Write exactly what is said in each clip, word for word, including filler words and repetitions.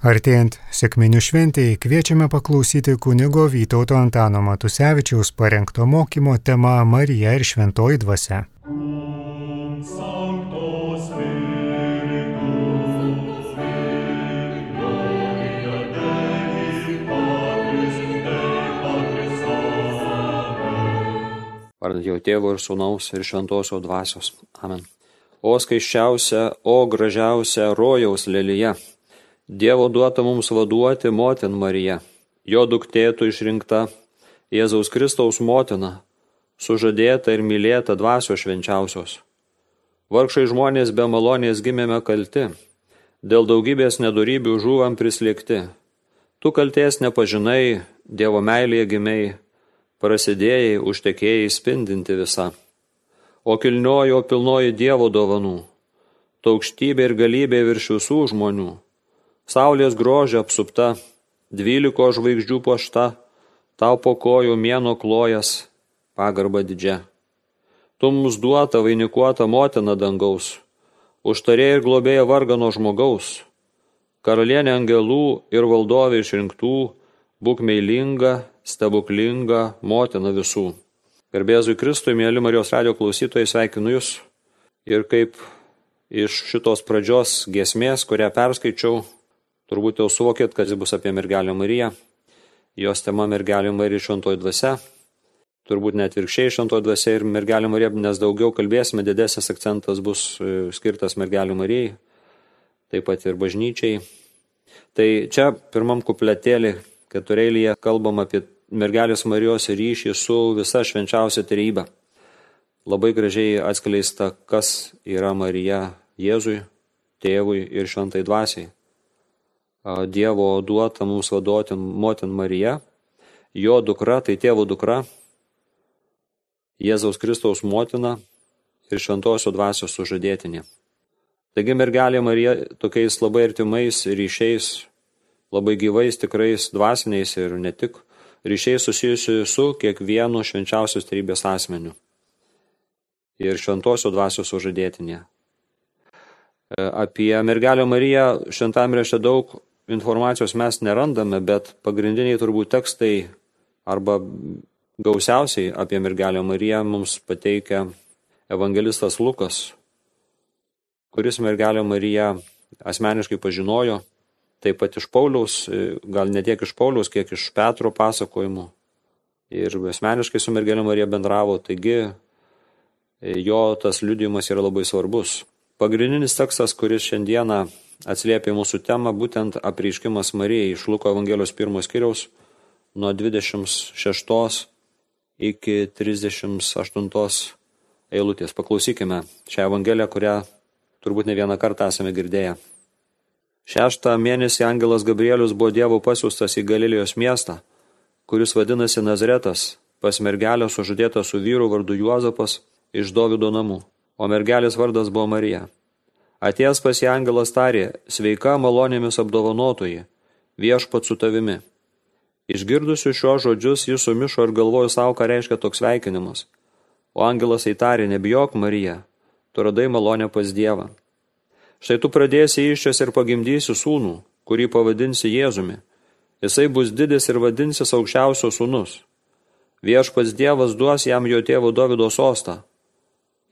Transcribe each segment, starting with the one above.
Artėjant sekminių šventėjai kviečiame paklausyti kunigo Vytauto Antano Matusevičiaus parengto mokymo tema Marija ir šventoji dvasia. Vardant jau Tėvo ir Sūnaus ir Šventosios dvasios. Amen. O skaisčiausia, o gražiausia rojaus lelija, Dievo duota mums vaduoti motin Marija, jo duktėtų išrinkta, Jėzaus Kristaus motina, sužadėta ir mylėta dvasios švenčiausios. Vargšai žmonės be malonės gimėme kalti, dėl daugybės nedorybių žūvam prislėgti. Tu kalties nepažinai, Dievo meilėje gimiai, prasidėjai, užtekėjai spindinti visa. O kilniojo pilnoji Dievo dovanų, tu aukštybė ir galybė virš visų žmonių. Saulės grožio apsupta, dvyliko žvaigždžių puošta, tau po kojų mėnuo klojas, pagarba didžia. Tu mums duota vainikuota motina dangaus, užtarė ir globėja vargano žmogaus, karalienė angelų ir valdovė išrinktų, būk meilinga, stebuklinga motina visų. Garbėzui Kristui, mėly Marijos radijo klausytojai, sveikinu Jūs. Ir kaip iš šitos pradžios giesmės, kurią perskaičiau, turbūt jau suvokėt, kad jis bus apie mergelę Mariją. Jos tema mergelė Marija šventoji dvasia. Turbūt net virkščiai šventoji dvasia ir mergelė Marija, nes daugiau kalbėsime, didesnis akcentas bus skirtas mergelė Marijai, taip pat ir bažnyčiai. Tai čia pirmam kupletėlį keturėlyje kalbam apie mergelės Marijos ryšį su visa švenčiausia trejybe. Labai gražiai atskleista, kas yra Marija Jėzui, Tėvui ir šventai dvasiai. Dievo duota mums vaduoti motin Marija, jo dukra, tai Tėvo dukra, Jėzaus Kristaus motina ir šventosios dvasios sužadėtinė. Taigi mergelė Marija tokiais labai artimais ryšiais, labai gyvais, tikrais dvasiniais ir ne tik ryšiais susijusi su kiekvienu švenčiausios trejybės asmeniu ir šventosios dvasios sužadėtinė. Apie mergelę Mariją šventame rašte daug informacijos mes nerandame, bet pagrindiniai turbūt tekstai arba gausiausiai apie mergelę Mariją mums pateikia evangelistas Lukas, kuris mergelę Mariją asmeniškai pažinojo, taip pat iš Pauliaus, gal ne tiek iš Pauliaus, kiek iš Petro pasakojimų. Ir asmeniškai su mergelė Marija bendravo, taigi jo tas liudijimas yra labai svarbus. Pagrindinis tekstas, kuris šiandieną atsiliepia mūsų temą, būtent apreiškimas Marijai iš Luko Evangelijos pirmos skyriaus nuo dvidešimt šeštos iki trisdešimt aštuntos eilutės. Paklausykime šią Evangeliją, kurią turbūt ne vieną kartą esame girdėję. Šeštą mėnesį angelas Gabrielius buvo Dievo pasiųstas į Galilėjos miestą, kuris vadinasi Nazaretas, pas mergelę sužadėtą su vyru vardu Juozapas iš Dovydo namų, o mergelės vardas buvo Marija. Atėjęs pas ją angelas tarė, sveika malonėmis apdovanotoji, viešpat su tavimi. Išgirdusiu šiuos žodžius, jis sumišo ir galvojo savo, ką reiškia toks sveikinimas. O angelas įtarė, nebijok Marija, tu radai malonę pas Dievą. Štai tu pradėsi įsčias ir pagimdysi sūnų, kurį pavadinsi Jėzumi. Jisai bus didis ir vadinsis aukščiausio sūnus. Viešpats Dievas duos jam jo tėvo Dovydo sostą.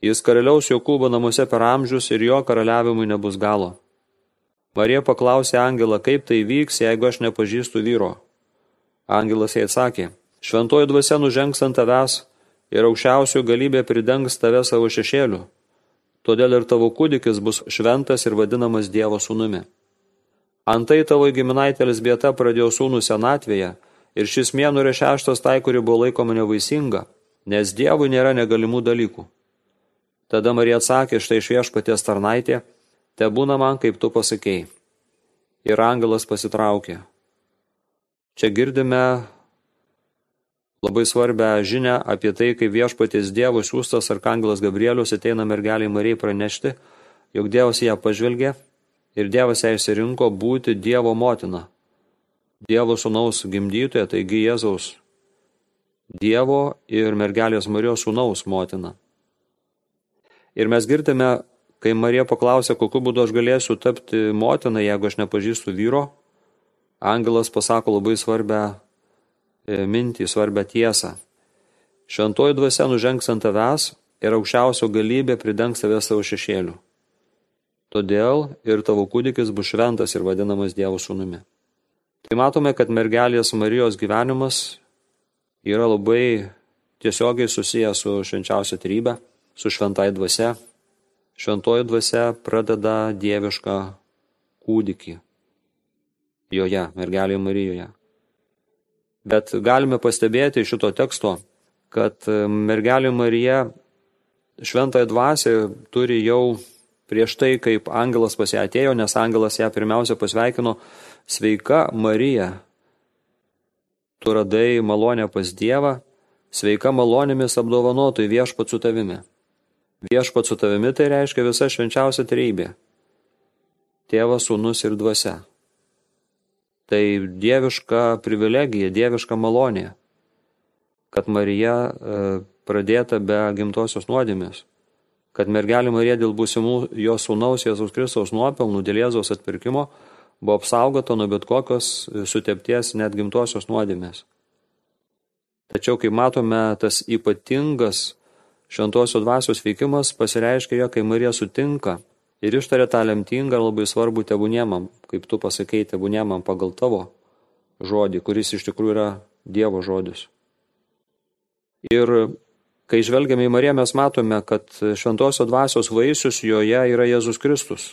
Jis karaliaus Jokūbo namuose per amžius ir jo karaliavimui nebus galo. Marija paklausė angelą, kaip tai vyks, jeigu aš nepažįstu vyro. Angelas jai atsakė, šventoji dvasia nužengs ant tavęs ir aukščiausių galybė pridengs tave savo šešėliu. Todėl ir tavo kūdikis bus šventas ir vadinamas Dievo sūnumi. Antai tavo giminaitė Elzbieta pradėjo sūnų senatvėje ir šis mėnuo yra šeštas tai, kuri buvo laikoma nevaisinga, nes Dievui nėra negalimų dalykų. Tada Marija atsakė, štai viešpaties tarnaitė, te būna man, kaip tu pasakėjai. Ir angelas pasitraukė. Čia girdime labai svarbią žinią apie tai, kaip viešpaties Dievo siųstas arkangelas Gabrielius ateina mergeliai Marijai pranešti, jog Dievas ją pažvelgė ir Dievas ją išsirinko būti Dievo motina. Dievo sūnaus gimdytoja, taigi Jėzaus Dievo ir mergelės Marijos sūnaus motina. Ir mes girdime, kai Marija paklausė, kokiu būdu aš galėsiu tapti motina, jeigu aš nepažįstu vyro, angelas pasako labai svarbią mintį, svarbią tiesą. Šventoji dvasia nužengs ant tavęs ir aukščiausio galybė pridengs tave savo šešėliu. Todėl ir tavo kūdikis bus šventas ir vadinamas Dievo sūnumi. Tai matome, kad mergelės Marijos gyvenimas yra labai tiesiogiai susijęs su švenčiausia trejybe, su šventai dvasia. Šventoji dvasia pradeda dievišką kūdikį joje, mergelėje Marijoje. Bet galime pastebėti iš šito teksto, kad mergelė Marija šventąją dvasią turi jau prieš tai, kaip angelas pas ją atėjo, nes angelas ją pirmiausia pasveikino: sveika Marija, tu radai malonę pas Dievą, sveika malonėmis apdovanotai viešpats su tavimi. Viešpats su tavimi tai reiškia visa švenčiausia trejybė. Tėvas, sūnus ir dvasia. Tai dieviška privilegija, dieviška malonė, kad Marija e, pradėta be gimtosios nuodėmės, kad mergelė Marija dėl būsimų jos sūnaus Jėzaus Kristaus nuopelnų, dėl Jėzaus atpirkimo, buvo apsaugota nuo bet kokios sutepties net gimtosios nuodėmės. Tačiau, kaip matome, tas ypatingas šventosios dvasios veikimas pasireiškia jo, kai Marija sutinka ir ištarė tą lemtingą ir labai svarbų tebūniemam, kaip tu pasakei, tebūniemam pagal tavo žodį, kuris iš tikrųjų yra Dievo žodis. Ir kai žvelgiame į Mariją, mes matome, kad šventosios dvasios vaisius joje yra Jėzus Kristus.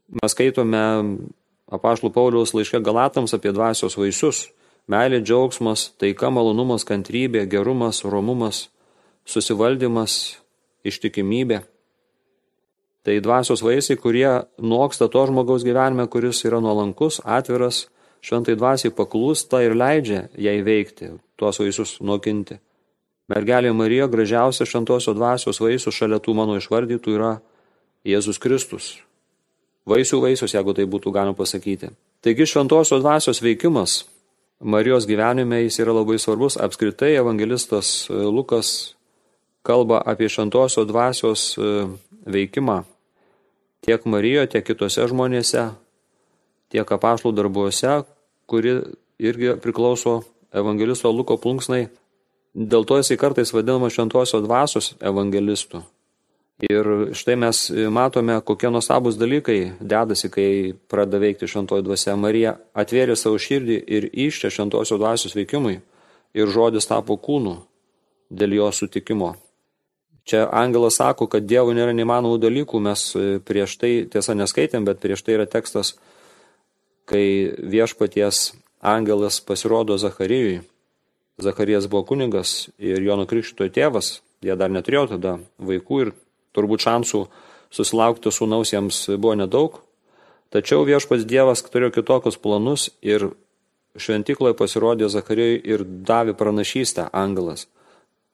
Mes skaitome apaštalų Pauliaus laiške Galatams apie dvasios vaisius: meilė, džiaugsmas, taika, malonumas, kantrybė, gerumas, romumas, susivaldymas, ištikimybė. Tai dvasios vaisiai, kurie noksta to žmogaus gyvenime, kuris yra nuolankus, atviras, šventai dvasiai paklūsta ir leidžia jai veikti, tuos vaisius nokinti. Mergelė Marija, gražiausia šventosios dvasios vaisius šalia tų mano išvardytų yra Jėzus Kristus. Vaisių vaisius, jeigu tai būtų galima pasakyti. Taigi šventosios dvasios veikimas Marijos gyvenime jis yra labai svarbus. Apskritai evangelistas Lukas kalba apie šventosios dvasios veikimą tiek Marijoje, tiek kitose žmonėse, tiek apaštalų darbuose, kuri irgi priklauso evangelisto Luko plunksnai. Dėl to jisai kartais vadinamas šventosios dvasios evangelistu. Ir štai mes matome, kokie nuostabūs dalykai dedasi, kai pradeda veikti šventoji dvasia. Marija atvėrė savo širdį ir iščia šventosios dvasios veikimui ir žodis tapo kūnu dėl jo sutikimo. Čia angelas sako, kad Dievui nėra neįmanomų dalykų. Mes prieš tai, tiesa neskaitėm, bet prieš tai yra tekstas, kai viešpaties angelas pasirodo Zacharijui. Zacharijas buvo kunigas ir Jono Krikštytojo tėvas. Jie dar neturėjo tada vaikų ir turbūt šansų susilaukti sūnaus jiems buvo nedaug. Tačiau viešpats Dievas turėjo kitokius planus ir šventykloje pasirodė Zacharijui ir davė pranašystę angelas,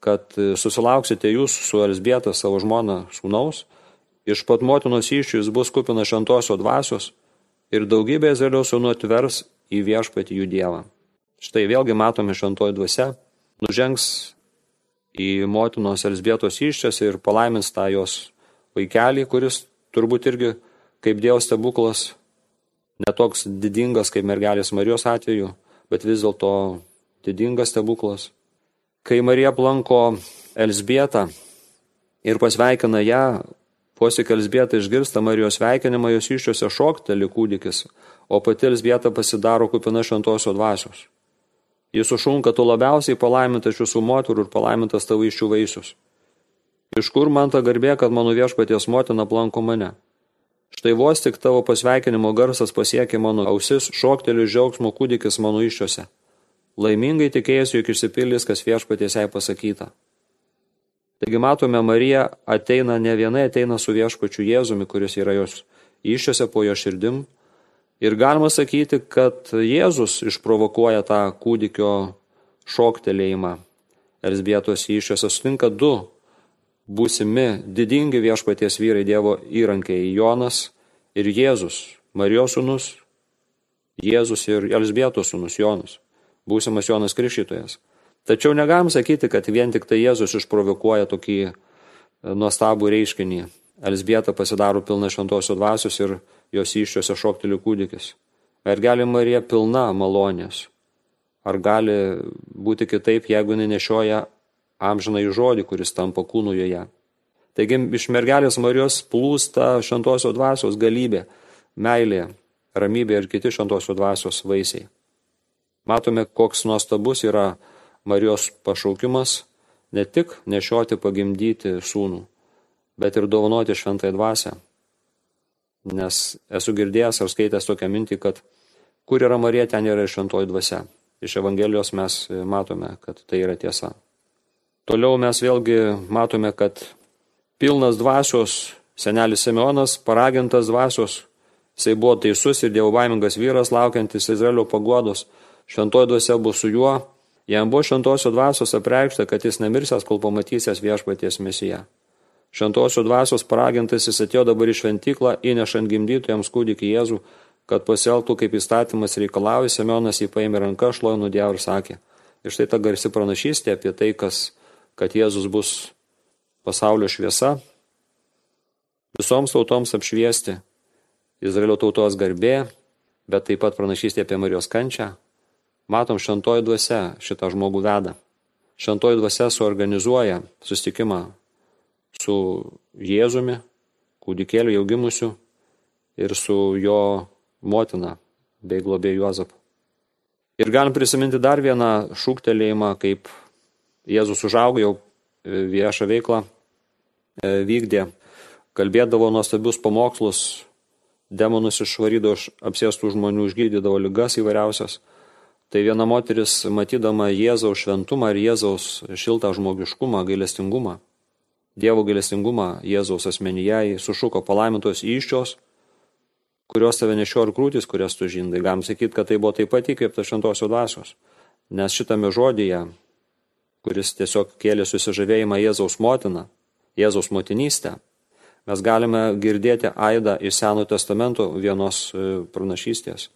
kad susilauksite jūs su Elzbieta savo žmona sūnaus, iš pat motinos įsčių jis bus kupinas šventosios dvasios ir daugybė Izraelio sūnų atvers į viešpatį jų Dievą. Štai vėlgi matome šventoji dvasia nužengs į motinos Elzbietos įsčias ir palaimins tą jos vaikelį, kuris turbūt irgi kaip Dievo stebuklas, netoks didingas kaip mergelės Marijos atveju, bet vis dėlto didingas stebuklas. Kai Marija aplanko Elzbietą ir pasveikina ją, vos tik Elzbieta išgirsta Marijos sveikinimą, jos įsčiose šokteli kūdikis, o pati Elzbieta pasidaro kupina šventosios dvasios. Jis sušunka: tu labiausiai palaimintas šių moterų ir palaimintas tavo įsčių vaisius. Iš kur man ta garbė, kad mano viešpaties motina aplanko mane? Štai vos tik tavo pasveikinimo garsas pasiekė mano ausis, šokteli džiaugsmo kūdikis mano įsčiose. Laimingai tikėjusi, jog išsipildys, kas viešpaties jai pasakyta. Taigi matome, Marija ateina ne vienai, ateina su viešpačiu Jėzumi, kuris yra jos įsčiose po jo širdim. Ir galima sakyti, kad Jėzus išprovokuoja tą kūdikio šoktelėjimą. Elzbietos įsčiose sutinka du būsimi didingi viešpaties vyrai, Dievo įrankiai, Jonas ir Jėzus, Marijos sūnus, Jėzus ir Elzbietos sūnus Jonas, būsimas Jonas Krikštytojas. Tačiau negalim sakyti, kad vien tik tai Jėzus išprovokuoja tokį nuostabų reiškinį. Elzbieta pasidaro pilna šventosios dvasios ir jos įsčiose šokteli kūdikis. Mergelė Marija pilna malonės. Ar gali būti kitaip, jeigu jinai nešioja amžinąjį žodį, kuris tampa kūnu joje? Taigi iš mergelės Marijos plūsta šventosios dvasios galybė, meilė, ramybė ir kiti šventosios dvasios vaisiai. Matome, koks nuostabus yra Marijos pašaukimas ne tik nešioti pagimdyti sūnų, bet ir dovanoti šventąją dvasią. Nes esu girdėjęs ar skaitęs tokią mintį, kad kur yra Marija, ten yra ir šventoji dvasia. Iš Evangelijos mes matome, kad tai yra tiesa. Toliau mes vėlgi matome, kad pilnas dvasios senelis Simeonas, paragintas dvasios, jisai buvo teisus ir dievobaimingas vyras, laukiantis Izraelio paguodos. Šventoji dvasia bus su juo. Jam buvo šventosios dvasios apreikšta, kad jis nemirsęs, kol pamatysės viešpaties Mesiją. Šventosios dvasios paragintas jis atėjo dabar į šventyklą, įnešant gimdytojams kūdikį Jėzų, kad pasielgtų kaip įstatymas reikalauja. Simeonas jį paėmė ranką, šlovino Dievą ir sakė. Ir štai ta garsi pranašystė apie tai, kas, kad Jėzus bus pasaulio šviesa, visoms tautoms apšviesti, Izraelio tautos garbė, bet taip pat pranašystė apie Marijos kančią. Matom, šventoji dvasia šitą žmogų veda. Šventoji dvasia suorganizuoja susitikimą su Jėzumi, kūdikėliu jau gimusiu, ir su jo motina bei globėju Juozapu. Ir galim prisiminti dar vieną šūktelėjimą, kaip Jėzus užaugo, jau viešą veiklą vykdė, kalbėdavo nuostabius pamokslus, demonus išvarydavo iš apsėstų žmonių, išgydydavo ligas įvairiausias. Tai viena moteris, matydama Jėzaus šventumą ir Jėzaus šiltą žmogiškumą, gailestingumą, Dievo gailestingumą Jėzaus asmenyje, sušuko: palaimintos įsčios, kurios tave nešio ir krūtis, kurias tu žindai. Galim sakyti, kad tai buvo taip pat įkvėpta šventosios dvasios. Nes šitame žodyje, kuris tiesiog kėlė susižavėjimą Jėzaus motiną, Jėzaus motinystę, mes galime girdėti aidą iš Senojo testamento vienos pranašystės.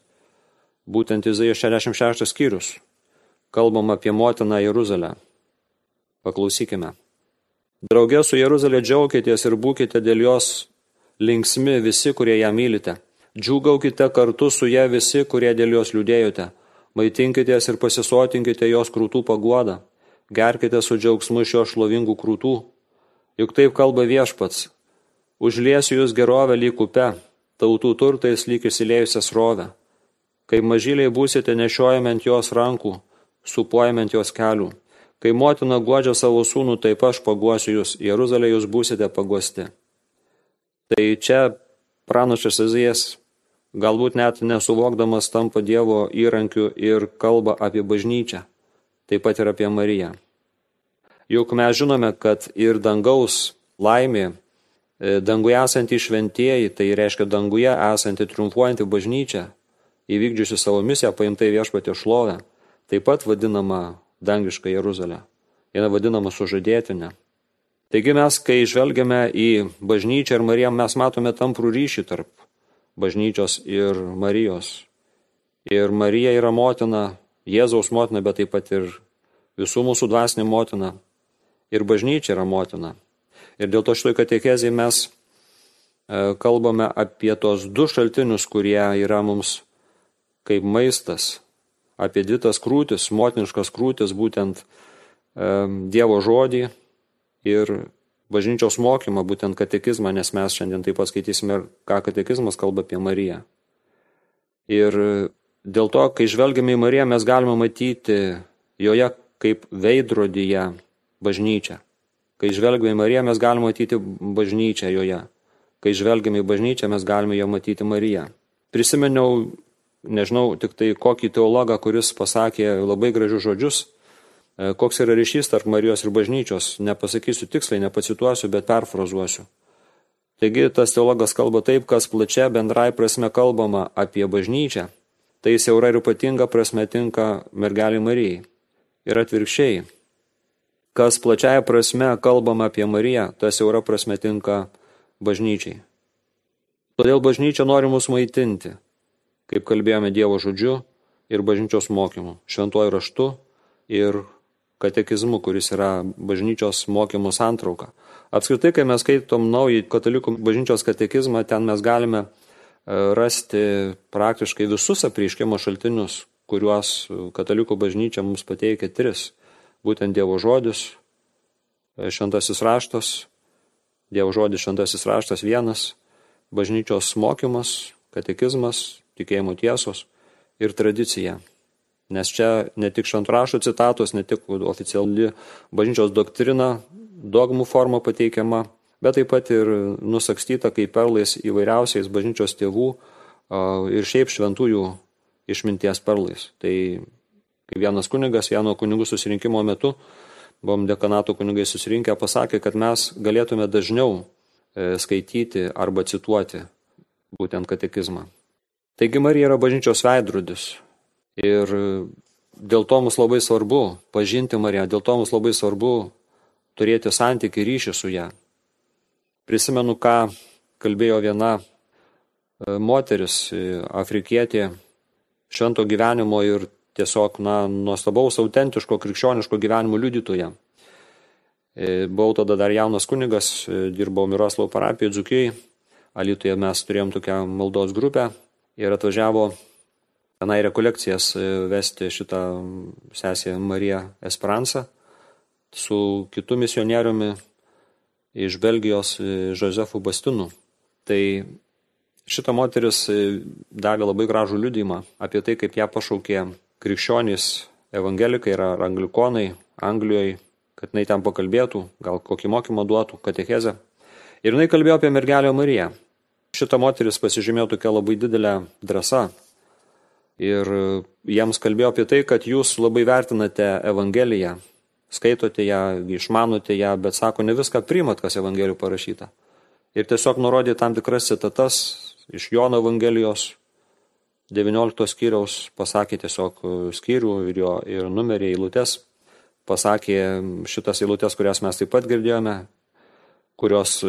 Būtent Izaijo šešiasdešimt šeštas skyrius. Kalbam apie motiną Jeruzalę. Paklausykime. Drauge su Jeruzalė džiaukitės ir būkite dėl jos linksmi visi, kurie ją mylite. Džiūgaukite kartu su ją visi, kurie dėl jos liūdėjote. Maitinkitės ir pasisotinkite jos krūtų paguodą. Gerkite su džiaugsmu iš jos šlovingų krūtų. Juk taip kalba Viešpats. Užliesiu jūs gerovę lyg upe, tautų turtais lyg įsiliejusią srovę. Kai mažyliai būsite nešiojami ant jos rankų, supuojami ant jos kelių. Kai motina guodžia savo sūnų, taip aš paguosiu jūs, Jeruzalė jūs būsite paguosti. Tai čia pranašas Izaijas, galbūt net nesuvokdamas, tampa Dievo įrankiu ir kalba apie bažnyčią, taip pat ir apie Mariją. Juk mes žinome, kad ir dangaus laimė, danguje esanti šventieji, tai reiškia danguje esanti triumfuojanti bažnyčia, įvykdžiusi savo misiją, paimtai Viešpaties šlovę, taip pat vadinama dangiška Jeruzalė. Jis vadinama sužadėtinė. Taigi mes, kai žvelgiame į bažnyčią ir Mariją, mes matome tamprų ryšį tarp bažnyčios ir Marijos. Ir Marija yra motina, Jėzaus motina, bet taip pat ir visų mūsų dvasinė motina. Ir bažnyčia yra motina. Ir dėl to šitoj katekezėje mes kalbame apie tos du šaltinius, kurie yra mums kaip maistas, apie dvi tas krūtis, motiniškas krūtis, būtent e, Dievo žodį ir bažnyčios mokymą, būtent katekizmą, nes mes šiandien taip pat skaitysime, ką katekizmas kalba apie Mariją. Ir dėl to, kai žvelgiame į Mariją, mes galime matyti joje kaip veidrodyje bažnyčią. Kai žvelgiame į Mariją, mes galime matyti bažnyčią joje. Kai žvelgiame į bažnyčią, mes galime jo matyti Mariją. Prisimeniau, nežinau, tik tai kokį teologą, kuris pasakė labai gražius žodžius, koks yra ryšys tarp Marijos ir bažnyčios. Nepasakysiu tiksliai, nepacituosiu, bet perfrazuosiu. Taigi tas teologas kalba taip, kas plačia bendrai prasme kalbama apie bažnyčią, tai siaura ir ypatinga prasme tinka mergelei Marijai. Ir atvirkščiai, kas plačiaja prasme kalbama apie Mariją, tas siaura prasme tinka bažnyčiai. Todėl bažnyčia nori mus maitinti, kaip kalbėjome Dievo žodžiu ir bažnyčios mokymu, šventuoju raštu ir katekizmu, kuris yra bažnyčios mokymų santrauka. Apskritai, kai mes skaitom naują katalikų bažnyčios katekizmą, ten mes galime rasti praktiškai visus apreiškimo šaltinius, kuriuos katalikų bažnyčia mums pateikia tris. Būtent Dievo žodis, šventasis raštas, Dievo žodis, šventasis raštas vienas, bažnyčios mokymas, katekizmas, tikėjimo tiesos ir tradicija. Nes čia ne tik šventrašo citatos, ne tik oficiali bažnyčios doktrina, dogmų forma pateikiama, bet taip pat ir nusakstyta kaip perlais įvairiausiais bažnyčios tėvų ir šiaip šventųjų išminties perlais. Tai kai vienas kunigas, vieno kunigų susirinkimo metu, buvom dekanato kunigai susirinkę, pasakė, kad mes galėtume dažniau skaityti arba cituoti būtent katekizmą. Taigi Marija yra bažnyčios veidrodis ir dėl to mums labai svarbu pažinti Mariją, dėl to mums labai svarbu turėti santykį ryšį su ją. Prisimenu, ką kalbėjo viena moteris, afrikietė, švento gyvenimo ir tiesiog na, nuostabaus, autentiško, krikščioniško gyvenimo liudytoja. Buvau tada dar jaunas kunigas, dirbau Miroslavų parapijoje Dzūkijai, Alytuje mes turėjom tokią maldos grupę ir atvažiavo tenai rekolekcijas vesti šitą sesę Mariją Esperanza su kitu misionieriumi iš Belgijos Josefu Bastinu. Tai šita moteris davė labai gražų liudijimą apie tai, kaip ją pašaukė krikščionys evangelikai ir anglikonai Anglijoje, kad jinai ten pakalbėtų, gal kokį mokymą duotų, katechezę. Ir jinai kalbėjo apie mergelę Mariją. Šita moteris pasižymėjo tokia labai didelė drąsa. Ir jiems kalbėjo apie tai, kad jūs labai vertinate Evangeliją, skaitote ją, išmanote ją, bet sako, ne viską priimat, kas Evangelijų parašyta. Ir tiesiog nurodė tam tikras citatas iš Jono Evangelijos devyniolikto skyriaus, pasakė tiesiog skyrių ir, jo, ir numerį eilutes, pasakė šitas eilutes, kurias mes taip pat girdėjome, kurios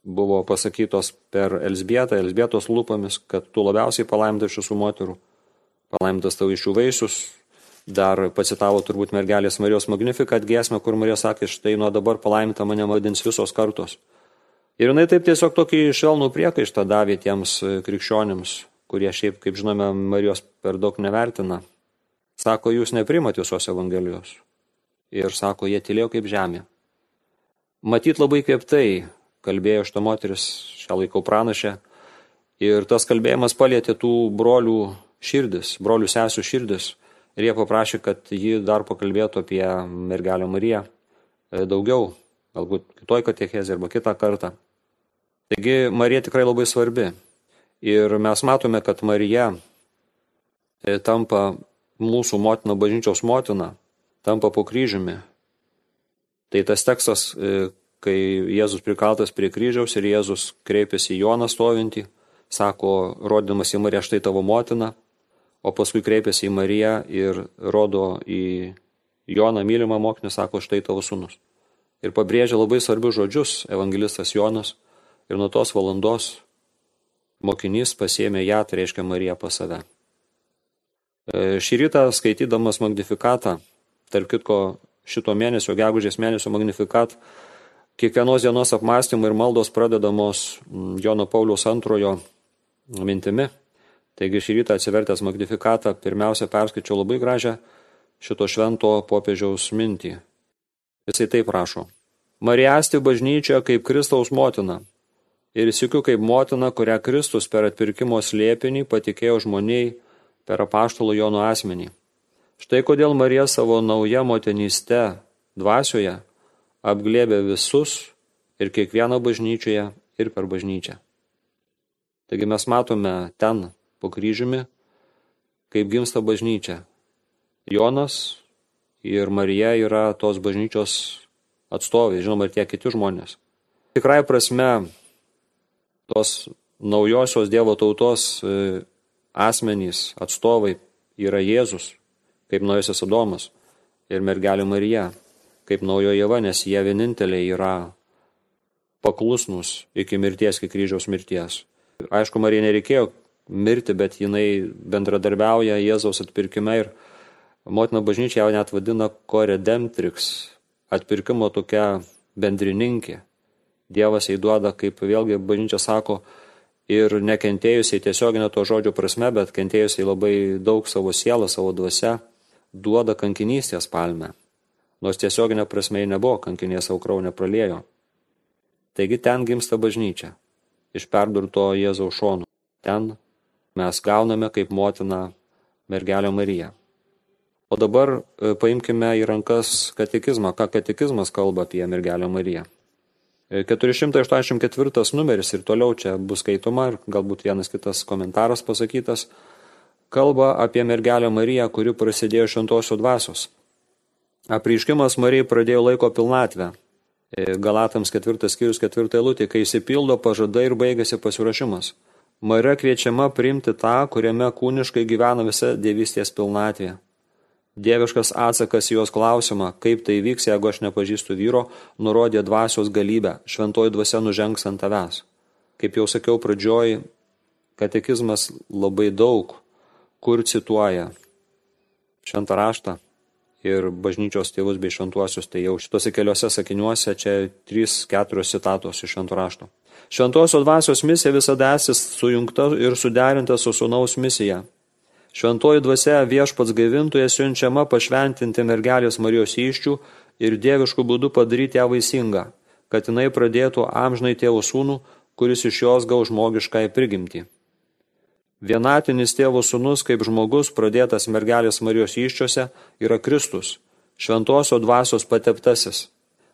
buvo pasakytos per Elzbietą, Elzbietos lūpomis, kad tu labiausiai palaimintas iš visų moterų, palaimintas tavo iš jų vaisius. Dar pacitavo turbūt mergelės Marijos Magnificat giesmę, kur Marija sakė, štai nuo dabar palaiminta mane vadins visos kartos. Ir jinai taip tiesiog tokį švelnų priekaištą davė tiems krikščionims, kurie šiaip, kaip žinome, Marijos per daug nevertina. Sako, jūs neprimat visos Evangelijos. Ir sako, jie tylėjo kaip žemė. Matyt labai kvėptai kalbėjo šita moteris, šią laikau pranašę. Ir tas kalbėjimas palietė tų brolių širdis, brolių sesių širdis. Ir jie paprašė, kad ji dar pakalbėtų apie mergelę Mariją daugiau, galbūt kitoj katechezėje arba kitą kartą. Taigi Marija tikrai labai svarbi. Ir mes matome, kad Marija tampa mūsų motina, bažnyčios motina, tampa po kryžiumi. Tai tas tekstas, kai Jėzus prikaltas prie kryžiaus ir Jėzus kreipiasi į Joną stovintį, sako, rodydamas į Mariją, štai tavo motina, o paskui kreipiasi į Mariją ir rodo į Joną mylimą mokinį, sako, štai tavo sūnus. Ir pabrėžia labai svarbius žodžius evangelistas Jonas ir nuo tos valandos mokinys pasiėmė ją, tai reiškia Mariją pas save. Šį rytą skaitydamas Magnifikatą, tarp kitko šito mėnesio, gegužės mėnesio Magnifikat, kiekvienos dienos apmąstymai ir maldos pradedamos Jono Pauliaus antrojo mintimi. Taigi šį rytą atsivertęs Magnifikatą, pirmiausia perskaičiau labai gražią šito švento popiežiaus mintį. Jisai taip rašo. Marija esti bažnyčia kaip Kristaus motina ir sykiu kaip motina, kurią Kristus per atpirkimo slėpinį patikėjo žmoniai per apaštalo Jono asmenį. Štai kodėl Marija savo nauja motinyste dvasioje apglėbė visus ir kiekvieną bažnyčioje ir per bažnyčią. Taigi mes matome ten po kryžiumi, kaip gimsta bažnyčia. Jonas ir Marija yra tos bažnyčios atstovai, žinoma, ir tie kiti žmonės. Tikrai prasme, tos naujosios Dievo tautos asmenys, atstovai yra Jėzus, kaip naujasis Adomas, ir mergelė Marija, kaip naujoji Jeva, nes jie vieninteliai yra paklusnus iki mirties, iki kryžiaus mirties. Aišku, Marijai nereikėjo mirti, bet jinai bendradarbiauja Jėzaus atpirkime ir motina bažnyčia jau net vadina koredemptrix, atpirkimo tokia bendrininkė. Dievas jai duoda, kaip vėlgi bažnyčia sako, ir nekentėjusiai tiesioginė to žodžio prasme, bet kentėjusiai labai daug savo sielą, savo dvasia, duoda kankinystės palmę. Nors tiesioginė prasme ji nebuvo kankinė, savo kraują nepraliejo. Taigi ten gimsta bažnyčia, iš perdurto Jėzaus šonų. Ten mes gauname kaip motina mergelę Mariją. O dabar paimkime į rankas katekizmą, ką katekizmas kalba apie mergelę Mariją. keturi šimtai aštuoniasdešimt ketvirtas numeris ir toliau čia bus skaitoma ir galbūt vienas kitas komentaras pasakytas, kalba apie mergelę Mariją, kuri prasidėjo šventosios dvasios. Apreiškimas Marijai pradėjo laiko pilnatvę. Galatams ketvirtas skyrius ketvirta eilutė, kai išsipildo pažadai ir baigėsi pasiruošimas. Marija kviečiama priimti tą, kuriame kūniškai gyvena visa dievystės pilnatvė. Dieviškas atsakas į jos klausimą, kaip tai vyks, jeigu aš nepažįstu vyro, nurodė dvasios galybę, šventoji dvasia nužengs ant tavęs. Kaip jau sakiau pradžioj, katekizmas labai daug, kur cituoja šventą raštą ir bažnyčios tėvus bei šventuosius, tai jau šitose keliose sakiniuose čia trys, keturios citatos iš švento rašto. Šventosios dvasios misija visada esi sujungta ir suderinta su sūnaus misija. Šventoji dvasia viešpats gaivintoje siunčiama pašventinti mergelės Marijos įsčių ir dieviškų būdų padaryti ją vaisingą, kad jinai pradėtų amžinai tėvo sūnų, kuris iš jos gaus žmogiškąją prigimtį. Vienatinis tėvo sūnus kaip žmogus pradėtas mergelės Marijos įsčiose yra Kristus, šventosios dvasios pateptasis.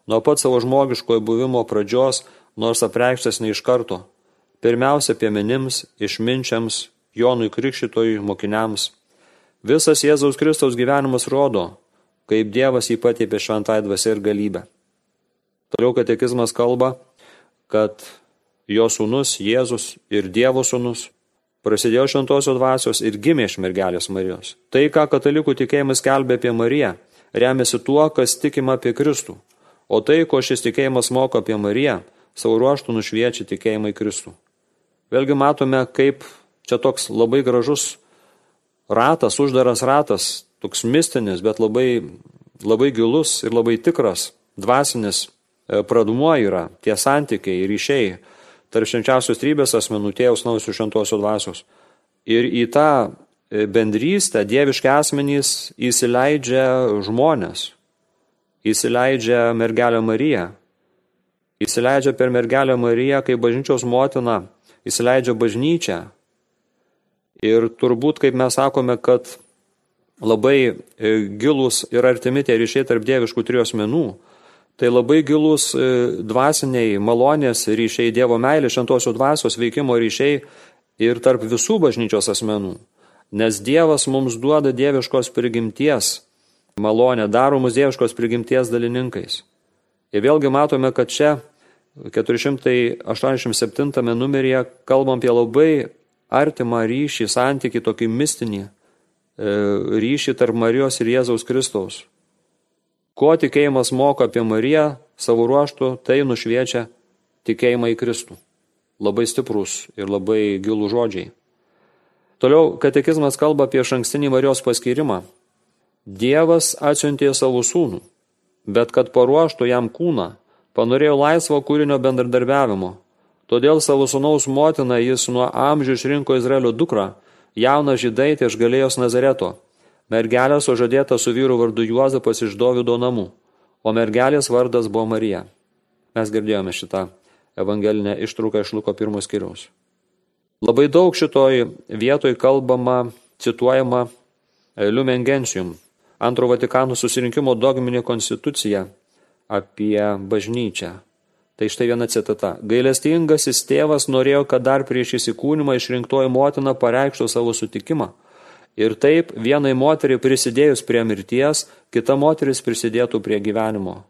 Nuo pat savo žmogiškojo buvimo pradžios, nors apreikštas ne iš karto, pirmiausia piemenims, išminčiams, Jonui Krikštytojui, mokiniams. Visas Jėzaus Kristaus gyvenimas rodo, kaip Dievas jį patepė šventąją dvasią ir galybę. Toliau katekizmas kalba, kad jo sūnus Jėzus ir Dievo sūnus prasidėjo šventosios dvasios ir gimė iš mergelės Marijos. Tai, ką katalikų tikėjimas skelbia apie Mariją, remiasi tuo, kas tikima apie Kristų. O tai, ko šis tikėjimas moko apie Mariją, savo ruožtų nušviečia tikėjimą į Kristų. Vėlgi matome, kaip čia toks labai gražus ratas, uždaras ratas, toks mistinis, bet labai, labai gilus ir labai tikras, dvasinis pradmuo yra tie santykiai ir ryšiai tarp švenčiausios trybės asmenų, tėvos, sūnaus ir šventosios dvasios. Ir į tą bendrystę dieviški asmenys įsileidžia žmonės, įsileidžia mergelę Mariją, įsileidžia per mergelę Mariją kaip bažnyčios motina, įsileidžia bažnyčią. Ir turbūt, kaip mes sakome, kad labai gilus ir artimi tie ryšiai tarp dieviškų trijų asmenų, tai labai gilus dvasiniai malonės ryšiai, Dievo meilės, šventosios dvasios veikimo ryšiai ir tarp visų bažnyčios asmenų. Nes Dievas mums duoda dieviškos prigimties malonę, daro mus dieviškos prigimties dalininkais. Ir vėlgi matome, kad čia keturi šimtai aštuoniasdešimt septintame numeryje kalbam apie labai artimą ryšį, santykį, tokį mistinį ryšį tarp Marijos ir Jėzaus Kristaus. Ko tikėjimas moko apie Mariją, savo ruožtų, tai nušviečia tikėjimą į Kristų. Labai stiprus ir labai gilų žodžiai. Toliau katekizmas kalba apie išankstinį Marijos paskyrimą. Dievas atsiuntė savo sūnų, bet kad paruoštų jam kūną, panorėjo laisvo kūrinio bendradarbiavimo. Todėl savo sūnaus motiną jis nuo amžių išrinko Izraelio dukrą, jauną žydaitę iš Galilėjos Nazareto. Mergelė sužadėta su vyru vardu Juozapas iš Dovydo namų, o mergelės vardas buvo Marija. Mes girdėjome šitą evangelinę ištrauką iš Luko pirmo skyriaus. Labai daug šitoj vietoj kalbama, cituojama Lumen Gentium, Antro Vatikano susirinkimo dogminė konstitucija apie bažnyčią. Tai štai viena citata. Gailestingasis tėvas norėjo, kad dar prieš įsikūnimą išrinktoji motina pareikštų savo sutikimą. Ir taip vienai moteriai prisidėjus prie mirties, kita moteris prisidėtų prie gyvenimo.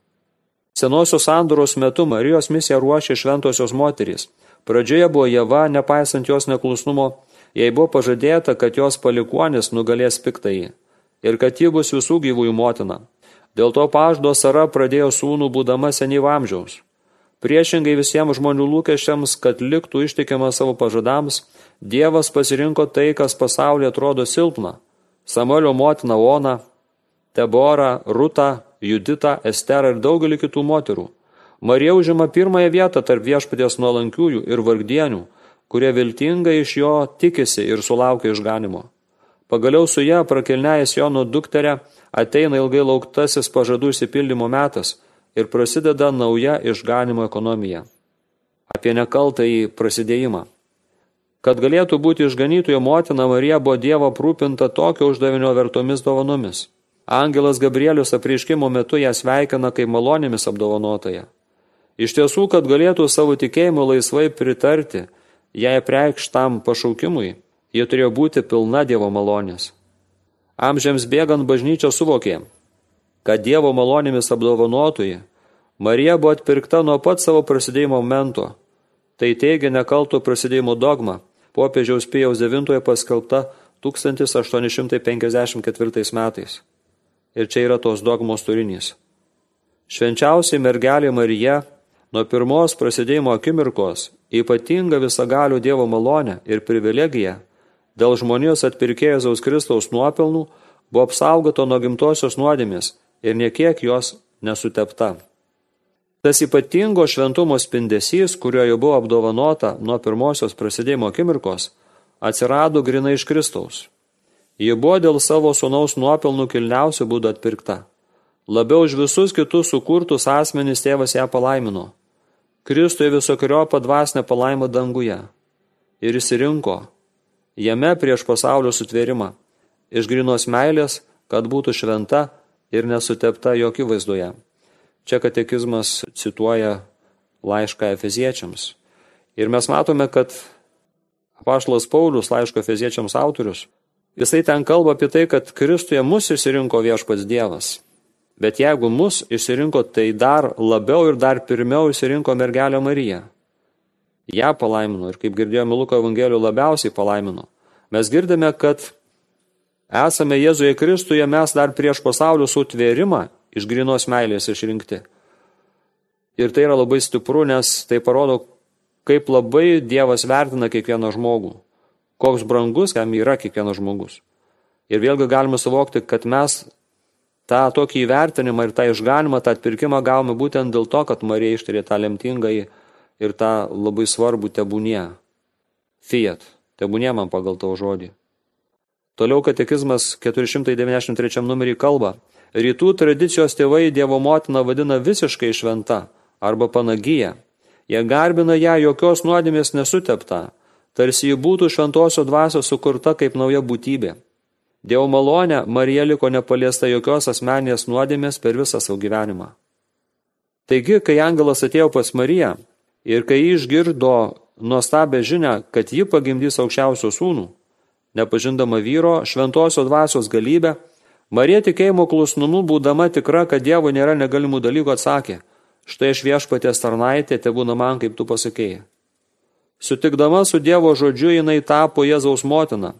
Senosios sandoros metu Marijos misiją ruošė šventosios moterys. Pradžioje buvo Jeva, nepaisant jos neklusnumo, jai buvo pažadėta, kad jos palikuonis nugalės piktąjį ir kad ji bus visų gyvųjų motina. Dėl to pažado Sara pradėjo sūnų būdama senyvo amžiaus. Priešingai visiems žmonių lūkesčiams, kad liktų ištikima savo pažadams, Dievas pasirinko tai, kas pasaulyje atrodo silpna. Samuelio motina Ona, Teborą, Rutą, Juditą, Esterą ir daugelį kitų moterų. Marija užima pirmąją vietą tarp viešpaties nuolankiųjų ir vargdienių, kurie viltingai iš jo tikisi ir sulaukia išganimo. Pagaliau su ją prakilnėjęs Jono dukterė ateina ilgai lauktasis pažadų išsipildymo metas ir prasideda nauja išganimo ekonomija. Apie nekaltąjį prasidėjimą. Kad galėtų būti išganytojo motina, Marija buvo Dievo aprūpinta tokio uždavinio vertomis dovanomis. Angelas Gabrielius apreiškimo metu ją sveikina kaip malonėmis apdovanotoja. Iš tiesų, kad galėtų savo tikėjimu laisvai pritarti, jai preikštam pašaukimui, ji turėjo būti pilna Dievo malonės. Amžiams bėgant bažnyčia suvokė, kad Dievo malonėmis apdovanotoji Marija buvo atpirkta nuo pat savo prasidėjimo momento. Tai teigia nekalto prasidėjimo dogma, popiežiaus Pijaus devintojo paskelbta tūkstantis aštuoni šimtai penkiasdešimt ketvirtais metais. Ir čia yra tos dogmos turinys. Švenčiausiai mergelė Marija nuo pirmos prasidėjimo akimirkos ypatinga visagalių Dievo malonė ir privilegija dėl žmonijos atpirkėjo Jėzaus Kristaus nuopelnų buvo apsaugota nuo gimtosios nuodėmės ir niekiek jos nesutepta. Tas ypatingo šventumo spindesys, kurio jau buvo apdovanota nuo pirmosios prasidėjimo akimirkos, atsirado grinai iš Kristaus. Ji buvo dėl savo sūnaus nuopelnų kilniausių būdų atpirkta. Labiau už visus kitus sukurtus asmenys tėvas ją palaimino. Kristuje visokeriopą dvasinę palaimą danguje. Ir išsirinko jame prieš pasaulio sutvėrimą, iš grinos meilės, kad būtų šventa ir nesutepta jokių vaizdoje. Čia katekizmas cituoja laišką Efeziečiams. Ir mes matome, kad apaštalas Paulius, laiško Efeziečiams autorius, jisai ten kalba apie tai, kad Kristuje mus išsirinko viešpats Dievas. Bet jeigu mus išsirinko, tai dar labiau ir dar pirmiau išsirinko mergelę Mariją. Ja palaimino ir, kaip girdėjome Luko Evangelijų, labiausiai palaimino. Mes girdime, kad esame Jėzuje Kristuje, mes dar prieš pasaulio sutvėrimą iš grinos meilės išrinkti. Ir tai yra labai stipru, nes tai parodo, kaip labai Dievas vertina kiekvieną žmogų. Koks brangus, kam yra kiekvienas žmogus. Ir vėlgi galime suvokti, kad mes tą tokį įvertinimą ir tą išganimą, tą atpirkimą gavome būtent dėl to, kad Marija ištarė tą lemtingąjį ir tą labai svarbų tebūnie. Fiat, tebūnie man pagal tavo žodį. Toliau katekizmas keturi šimtai devyniasdešimt trečiam numerį kalba. Rytų tradicijos tėvai Dievo motiną vadina visiškai šventa arba panagyja. Jie garbina ją jokios nuodėmės nesutepta, tarsi ji būtų šventosios dvasios sukurta kaip nauja būtybė. Dievo malonė Marija liko nepaliesta jokios asmeninės nuodėmės per visą savo gyvenimą. Taigi, kai angelas atėjo pas Mariją ir kai ji išgirdo nuostabę žinią, kad ji pagimdys aukščiausio sūnų, nepažindama vyro šventosios dvasios galybę, Marija tikėjimo klusnumu, būdama tikra, kad Dievo nėra negalimų dalykų, atsakė, štai aš viešpaties tarnaitė, tebūna man, kaip tu pasakėjai. Sutikdama su Dievo žodžiu, jinai tapo Jėzaus motina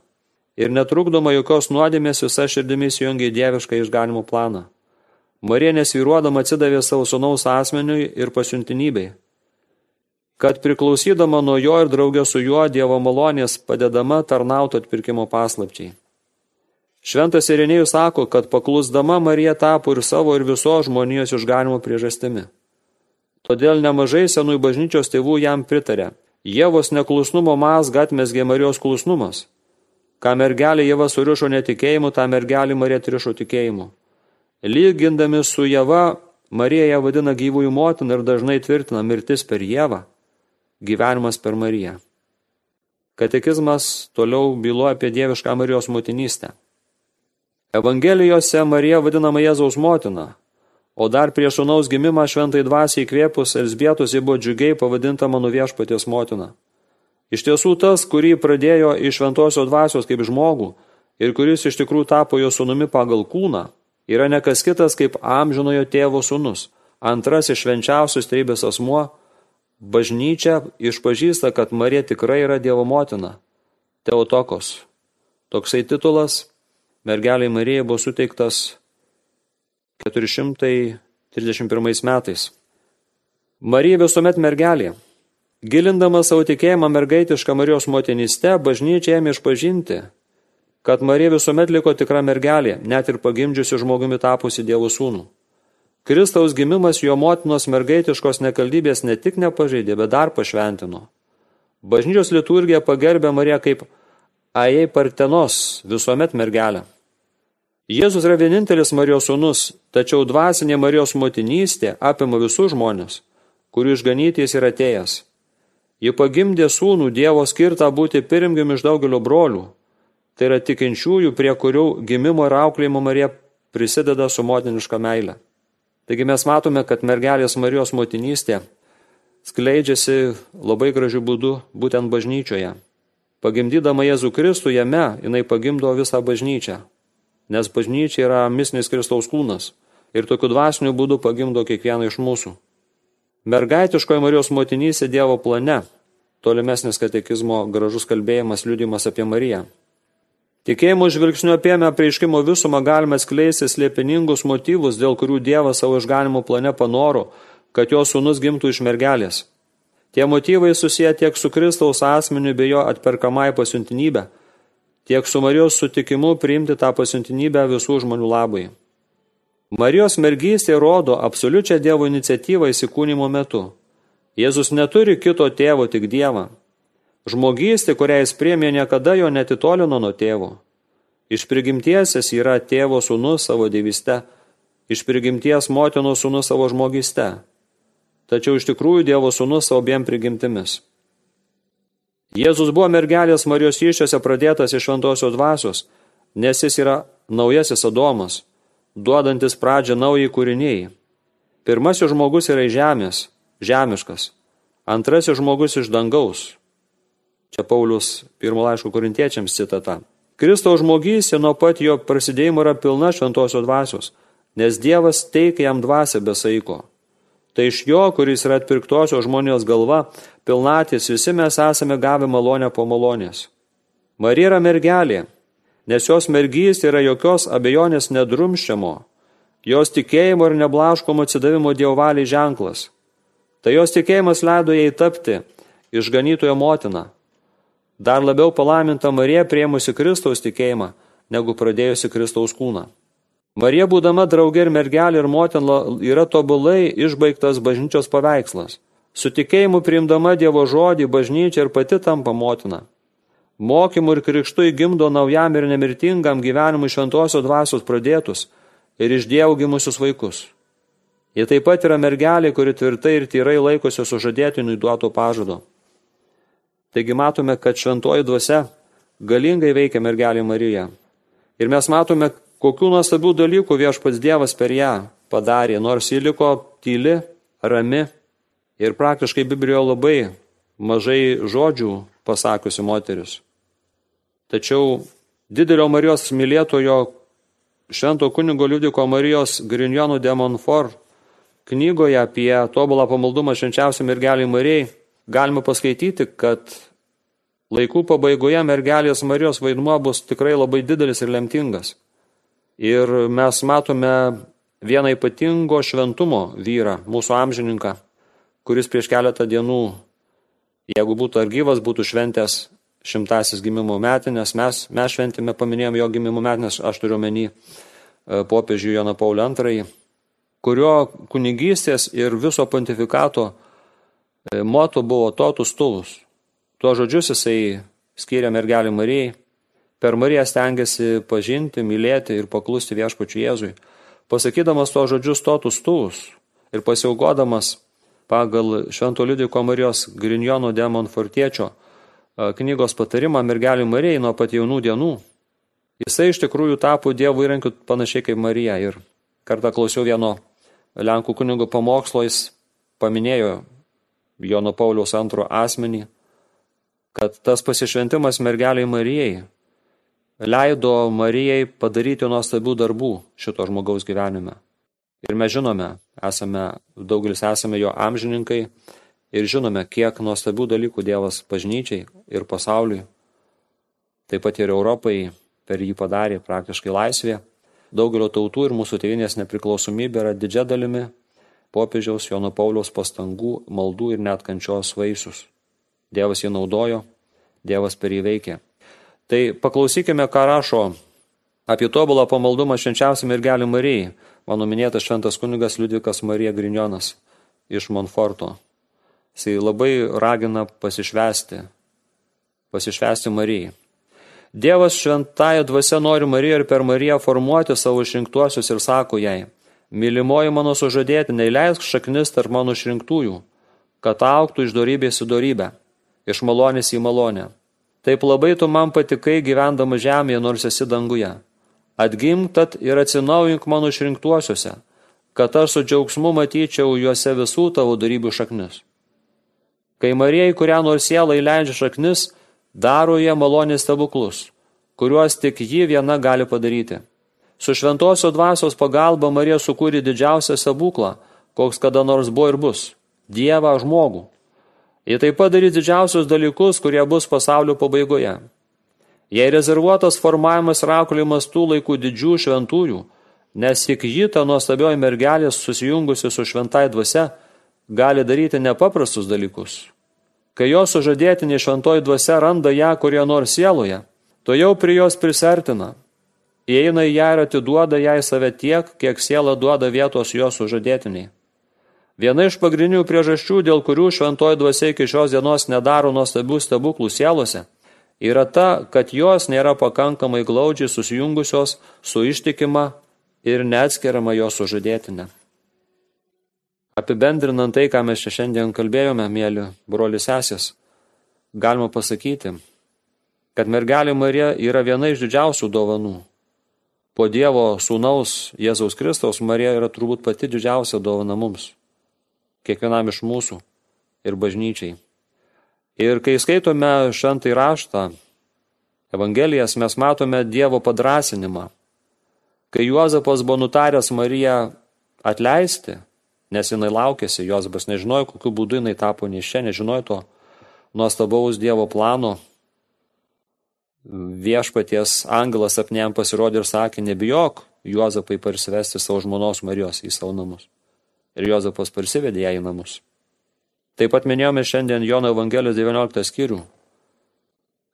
ir netrukdoma jokios nuodėmės visa širdimi įsijungė į dievišką išganimo planą. Marija nesvyruodama atsidavė savo sūnaus asmeniui ir pasiuntinybei, kad priklausydama nuo jo ir draugė su juo Dievo malonės padedama tarnauti atpirkimo paslapčiai. Šventas Irenėjus sako, kad paklusdama Marija tapo ir savo ir visos žmonijos išganimo priežastimi. Todėl nemažai senųjų bažnyčios tėvų jam pritarė. Ievos neklusnumo mazgą atmezgė Marijos klusnumas. Ką mergelė Ieva surišo netikėjimu, tą mergelį Marija atrišo tikėjimu. Lygindami su Ieva, Marija ją vadina gyvųjų motina ir dažnai tvirtina mirtis per Ievą, gyvenimas per Mariją. Katekizmas toliau byloja apie dievišką Marijos motinystę. Evangelijose Marija vadinama Jėzaus motina, o dar prieš sūnaus gimimą šventai dvasiai įkvėpus Elzbietos ji buvo džiugiai pavadinta mano viešpaties motina. Iš tiesų tas, kurį pradėjo iš šventosios dvasios kaip žmogų ir kuris iš tikrųjų tapo jo sūnumi pagal kūną, yra nekas kitas kaip amžinojo tėvo sūnus, antrasis švenčiausios trejybės asmuo. Bažnyčia išpažįsta, kad Marija tikrai yra Dievo motina, Teotokos. Toksai titulas mergeliai Marijai buvo suteiktas keturi šimtai trisdešimt pirmais metais. Marija visuomet mergelė. Gilindama savo tikėjimą mergaitišką Marijos motinystę, bažnyčia ėmė išpažinti, kad Marija visuomet liko tikra mergelė, net ir pagimdžiusi žmogumi tapusi Dievo sūnų. Kristaus gimimas jo motinos mergaitiškos nekaldybės ne tik nepažeidė, bet dar pašventino. Bažnyčios liturgija pagerbė Mariją kaip Ajei Partenos, visuomet mergelę. Jėzus yra vienintelis Marijos sūnus, tačiau dvasinė Marijos motinystė apima visus žmonės, kurių išganyti jis yra atėjęs. Ji pagimdė sūnų Dievo skirtą būti pirmgimiu iš daugelio brolių. Tai yra tikinčiųjų, prie kurių gimimo ir auklėjimo Marija prisideda su motiniška meile. Taigi mes matome, kad mergelės Marijos motinystė skleidžiasi labai gražiu būdu būtent bažnyčioje. Pagimdydama Jėzų Kristų jame, jinai pagimdo visą bažnyčią, nes bažnyčia yra mistinis Kristaus kūnas ir tokiu dvasiniu būdu pagimdo kiekvieną iš mūsų. Mergaitiškoji Marijos motinystė Dievo plane, tolimesnis katekizmo gražus kalbėjimas, liudijimas apie Mariją. Tikėjimo žvilgsniu apėmę apreiškimo visumą galime skleisti slėpiningus motyvus, dėl kurių Dievas savo išganimo plane panoro, kad jo sūnus gimtų iš mergelės. Tie motyvai susiję tiek su Kristaus asmeniu bei jo atperkamai pasiuntinybę, tiek su Marijos sutikimu priimti tą pasiuntinybę visų žmonių labai. Marijos mergystė rodo absoliučią Dievo iniciatyvą įsikūnymo metu. Jėzus neturi kito tėvo, tik Dievą. Žmogystė, kurią jis priėmė, niekada jo netitolino nuo tėvo. Iš prigimties jis yra tėvo sūnus savo dievyste, iš prigimties motinos sūnus savo žmogyste. Tačiau iš tikrųjų Dievo sūnus savo abiem prigimtimis. Jėzus buvo mergelės Marijos įsčiose pradėtas iš šventosios dvasios, nes jis yra naujasis Adomas, duodantis pradžią naujai kūriniai. Pirmasis žmogus yra iš žemės, žemiškas, antrasis žmogus iš dangaus. Čia Paulius pirmo laiško korintiečiams citata. Kristaus žmogystė nuo pat jo prasidėjimo yra pilna šventosios dvasios, nes Dievas teikia jam dvasią be saiko. Tai iš jo, kuris yra atpirktosios žmonijos galva, pilnatis visi mes esame gavę malonę po malonės. Marija yra mergelė, nes jos mergystė yra jokios abejonės nedrumščiamo, jos tikėjimo ir neblaškomo atsidavimo Dievo valiai ženklas. Tai jos tikėjimas leido jai tapti išganytojo motina. Dar labiau palaiminta Marija priėmusi Kristaus tikėjimą, negu pradėjusi Kristaus kūną. Marija, būdama draugė ir mergelė ir motina, yra tobulai išbaigtas bažnyčios paveikslas. Su tikėjimu priimdama Dievo žodį, bažnyčia ir pati tampa motina. Mokymu ir krikštu įgimdo naujam ir nemirtingam gyvenimui šventosios dvasios pradėtus ir iš Dievo gimusius vaikus. Ji taip pat yra mergelė, kuri tvirtai ir tyrai laikosi sužadėtiniui duoto pažado. Taigi matome, kad šventoji dvasia galingai veikia mergelė Marija. Ir mes matome, kokių nuostabių dalykų Viešpats Dievas per ją padarė, nors ji liko tyli, rami ir praktiškai Biblijoje labai mažai žodžių pasakiusi moteris. Tačiau didelio Marijos mylėtojo švento kunigo Liudviko Marijos Grignion de Montfort knygoje apie tobulą pamaldumą švenčiausiai mergelei Marijai galima paskaityti, kad laikų pabaigoje mergelės Marijos vaidmuo bus tikrai labai didelis ir lemtingas. Ir mes matome vieną ypatingo šventumo vyrą, mūsų amžininką, kuris prieš keletą dienų, jeigu būtų ar gyvas, būtų šventęs šimtasis gimimo metinės. Mes, mes šventėme, paminėjom jo gimimo metinės, aš turiu omeny popiežių Joną Paulių antrąjį, kurio kunigystės ir viso pontifikato moto buvo totus tuus. Tuo žodžius jisai skyrė mergelį Marijai. Per Mariją stengiasi pažinti, mylėti ir paklusti Viešpačiui Jėzui. Pasakydamas tuo žodžius totus tuus ir pasiaugodamas pagal švento Liudviko Marijos Grignion de Montfortiečio knygos patarimą mergelį Marijai nuo pat jaunų dienų, jisai iš tikrųjų tapo Dievo įrankiu panašiai kaip Marija. Ir kartą klausiau vieno Lenkų kunigo pamokslo, jis paminėjo Jono Pauliaus antro asmenį, kad tas pasišventimas mergeliai Marijai leido Marijai padaryti nuostabių darbų šito žmogaus gyvenime. Ir mes žinome, esame, daugelis esame jo amžininkai ir žinome, kiek nuostabių dalykų Dievas bažnyčiai ir pasauliui, taip pat ir Europai per jį padarė praktiškai laisvė. Daugelio tautų ir mūsų tėvynės nepriklausomybė yra didžia dalimi popiežiaus Jono Pauliaus pastangų, maldų ir net kančios vaisius. Dievas jį naudojo, Dievas per jį veikė. Tai paklausykime, ką rašo apie tobulą pamaldumą švenčiausiai mergelei Marijai mano minėtas šventas kunigas Liudvikas Marija Grignonas iš Montforto. Jis labai ragina pasišvęsti pasišvęsti Marijai. Dievas šventąja dvasia nori Mariją ir per Mariją formuoti savo išrinktuosius ir sako jai: mylimoji mano sužadėtinė, leisk šaknis tarp mano išrinktųjų, kad augtų iš dorybės į dorybę, iš malonės į malonę. Taip labai tu man patikai gyvendama žemėje, nors esi danguje. Atgimk tad ir atsinaujink mano išrinktuosiuose, kad aš su džiaugsmu matyčiau juose visų tavo dorybių šaknis. Kai Marijai, kurią nors sielą įleidžia šaknis, daro jie malonės stebuklus, kuriuos tik ji viena gali padaryti. Su šventosios dvasios pagalba Marija sukūrė didžiausią stebuklą, koks kada nors buvo ir bus – Dievą žmogų. Jie taip pat darys didžiausius dalykus, kurie bus pasaulio pabaigoje. Jei rezervuotas formavimas ir auklėjimas tų laikų didžių šventųjų, nes tik ji, ta nuostabioji mergelė, susijungusi su šventai dvasia, gali daryti nepaprastus dalykus. Kai jos sužadėtinė šventoji dvasia randa ją kurie nors sieloje, to jau prie jos prisertina, įeina į ją ir atiduoda jai save tiek, kiek siela duoda vietos jos sužadėtiniai. Viena iš pagrindinių priežasčių, dėl kurių šventoji dvasia iki šios dienos nedaro nuostabių stebuklų sielose, yra ta, kad jos nėra pakankamai glaudžiai susijungusios su ištikima ir neatskiriama jos sužadėtinė. Apibendrinant tai, ką mes čia šiandien kalbėjome, mėly broli sesės, galima pasakyti, kad mergelė Marija yra viena iš didžiausių dovanų. Po Dievo sūnaus Jėzaus Kristaus Marija yra turbūt pati didžiausia dovana mums, kiekvienam iš mūsų ir bažnyčiai. Ir kai skaitome šventąjį raštą, Evangelijas, mes matome Dievo padrąsinimą. Kai Juozapas buvo nutaręs Mariją atleisti, nes jinai laukėsi, Juozapas nežinojo, kokiu būdu jinai tapo nėščia, nežinojo to nuostabaus Dievo plano. Viešpaties angelas sapne jam pasirodė ir sakė: nebijok, Juozapai, parsivesti savo žmonos Marijos į savo namus. Ir Juozapas parsivedė ją į namus. Taip pat minėjome šiandien Jono Evangelijos devynioliktą skyrių,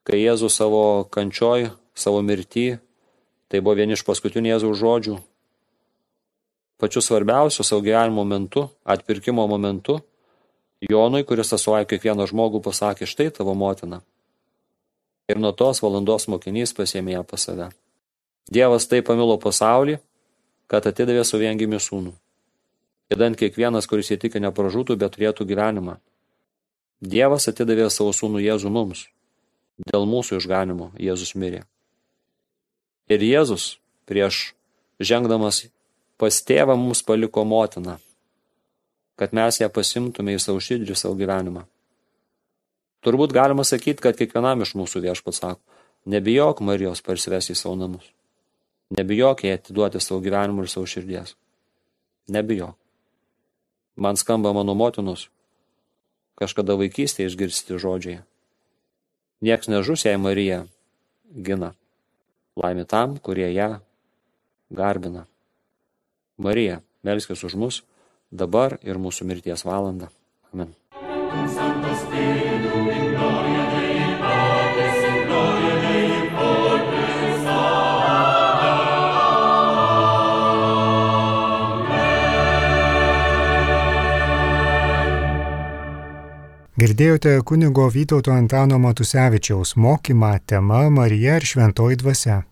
kai Jėzus savo kančioj, savo mirty, tai buvo vieni iš paskutinių Jėzaus žodžių, pačiu svarbiausiu savo gyvenimo momentu, atpirkimo momentu, Jonui, kuris atstovauja kiekvieną žmogų, pasakė: štai tavo motina. Ir nuo tos valandos mokinys pasiėmė ją pas save. Dievas taip pamilo pasaulį, kad atidavė savo viengimį sūnų. Idant kiekvienas, kuris įtiki, nepražūtų, bet turėtų gyvenimą. Dievas atidavė savo sūnų Jėzų mums. Dėl mūsų išganimo Jėzus mirė. Ir Jėzus prieš žengdamas pas tėvą mums paliko motiną, kad mes ją pasimtume į savo širdį, savo gyvenimą. Turbūt galima sakyti, kad kiekvienam iš mūsų Viešpats sako: nebijok Marijos parsivesti į savo namus. Nebijok jai atiduoti savo gyvenimą ir savo širdies. Nebijok. Man skamba mano motinos kažkada vaikystėje išgirsti žodžiai: nieks nežus, jei Marija gina. Laimė tam, kurie ją garbina. Marija, melskis už mus, dabar ir mūsų mirties valandą. Amen. Girdėjote kunigo Vytauto Antano Matusevičiaus mokymą tema Marija ir šventoji dvasia.